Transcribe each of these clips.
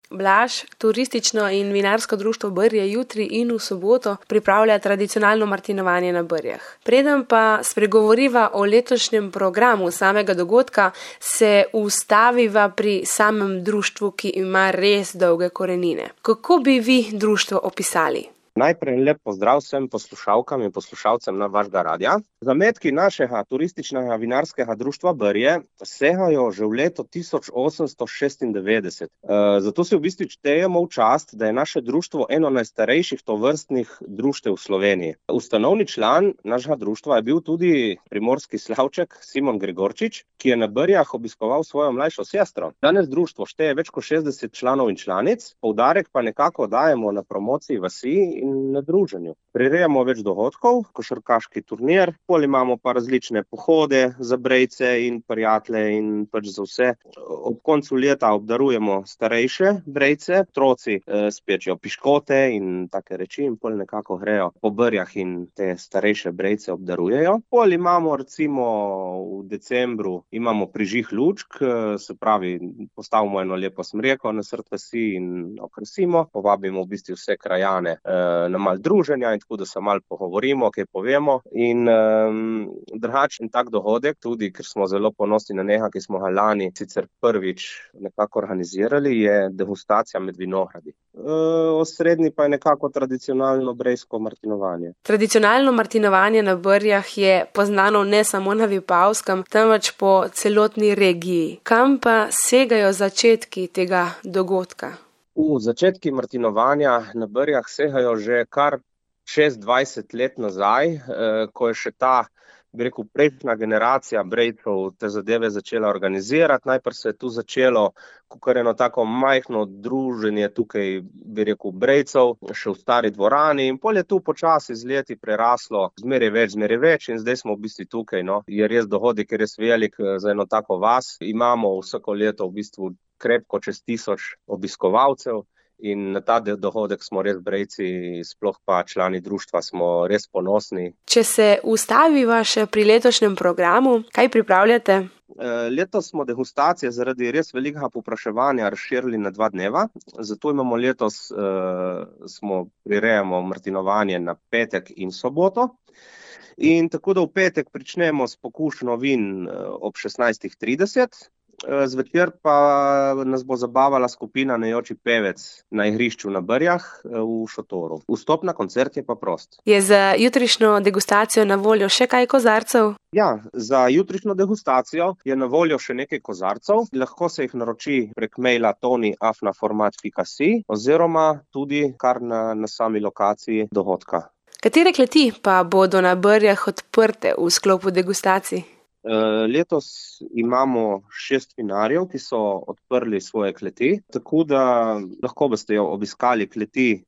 Blaž, turistično in vinarsko društvo Brje jutri in v soboto pripravlja tradicionalno martinovanje na Brjah. Preden pa spregovoriva o letošnjem programu samega dogodka, se ustaviva pri samem društvu, ki ima res dolge korenine. Kako bi vi društvo opisali? Najprej lep pozdrav vsem poslušalkam in poslušalcem na vašega radia. Zametki našega turističnega vinarskega društva Brje segajo že v leto 1896. Zato si v bistvu štejemo v čast, da je naše društvo eno najstarejših tovrstnih društev v Sloveniji. Ustanovni član našega društva je bil tudi primorski slavček Simon Gregorčič, ki je na Brjah obiskoval svojo mlajšo sestro. Danes društvo šteje več kot 60 članov in članic, poudarek pa nekako dajemo na promociji vasi in na druženju. Prirejamo več dogodkov, košarkaški turnir, pol imamo pa različne pohode za brejce in prijatelje in pač za vse. Ob koncu leta obdarujemo starejše brejce, otroci spečejo piškote in take reči in pol nekako grejo po Brjah in te starejše brejce obdarujejo. Pol imamo recimo v decembru imamo prižig lučk, se pravi postavimo eno lepo smreko na srd vasi in okrasimo, povabimo v bistvu vse krajane na malo druženja in tako, da se malo pogovorimo, kaj povemo. In drugačen tak dogodek, tudi ker smo zelo ponosni na njega, ki smo ga lani sicer prvič nekako organizirali, je degustacija med vinogradi. Osrednji pa je nekako tradicionalno brejsko martinovanje. Tradicionalno martinovanje na Brjah je poznano ne samo na Vipavskem, temveč po celotni regiji. Kam pa segajo začetki tega dogodka? Začetki martinovanja na Brjah segajo že kar 26 let nazaj, ko je še ta, bi rekel, prejšnja generacija brejcev te zadeve začela organizirati. Najprej se je tu začelo kakor eno tako majhno druženje tukaj, bi rekel, brejcev, še v stari dvorani in pol je tu počasi z leti preraslo zmeraj več in zdaj smo v bistvu tukaj, no. Je res dogodek, je res velik za eno tako vas. Imamo vsako leto v bistvu krepko čez 1000 obiskovalcev in na ta dogodek smo res brejci, sploh pa člani društva smo res ponosni. Če se ustaviva še pri letošnjem programu, kaj pripravljate? Letos smo degustacije zaradi res velikega povpraševanja razširili na 2 dneva, zato imamo letos, prirejamo martinovanje na petek in soboto. In tako da v petek pričnemo s pokušnjo vin ob 16:30, zvečer pa nas bo zabavala skupina Najoči pevec na igrišču na Brjah v šotoru. Vstop na koncert je pa prost. Je za jutrišnjo degustacijo na voljo še kaj kozarcev? Ja, za jutrišnjo degustacijo je na voljo še nekaj kozarcev. Lahko se jih naroči prek maila tony@format.si oziroma tudi kar na sami lokaciji dogodka. Katere kleti pa bodo na Brjah odprte v sklopu degustacij? Letos imamo 6 vinarjev, ki so odprli svoje kleti, tako da lahko boste jo obiskali kleti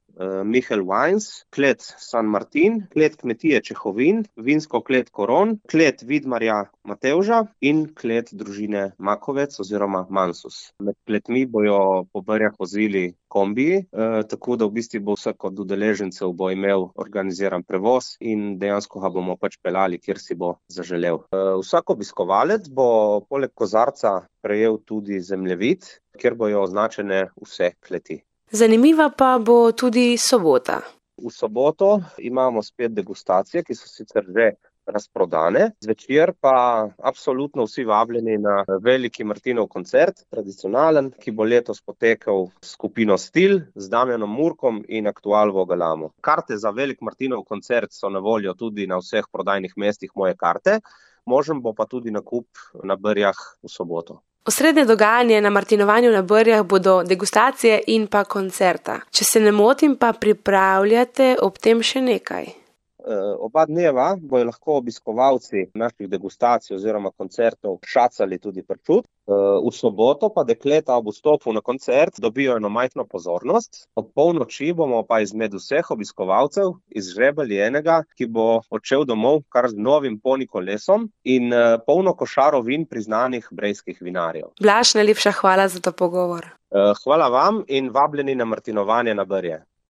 Michel Wines, klet San Martin, klet kmetije Čehovin, vinsko klet Koron, klet Vidmarja Matevža in klet družine Makovec oziroma Mansus. Med kletmi bojo po Brjah vozili kombiji, tako da v bistvu bo vsak od udeležencev bo imel organiziran prevoz in dejansko ga bomo pač peljali, kjer si bo zaželel. Vsak obiskovalec bo poleg kozarca prejel tudi zemljevid, kjer bojo označene vse kleti. Zanimiva pa bo tudi sobota. V soboto imamo spet degustacije, ki so sicer že razprodane. Zvečer pa absolutno vsi vabljeni na veliki Martinov koncert, tradicionalen, ki bo letos potekal s skupino Stil, z Damjanom Murkom in Aktual Vogalamo. Karte za velik Martinov koncert so na voljo tudi na vseh prodajnih mestih Moje karte, možen bo pa tudi nakup na Brjah v soboto. Osrednje dogajanje na martinovanju na Brjah bodo degustacije in pa koncerta. Če se ne motim, pa pripravljate ob tem še nekaj. Oba dneva bojo lahko obiskovalci naših degustacij oziroma koncertov šacali tudi pršut. V soboto pa dekleta ob vstopu na koncert dobijo eno majhno pozornost. Ob polnoči bomo pa izmed vseh obiskovalcev izžrebali enega, ki bo odšel domov kar z novim poni kolesom in polno košaro vin priznanih brejskih vinarjev. Blaž, najlepša hvala za ta pogovor. Hvala vam in vabljeni na martinovanje na Brje.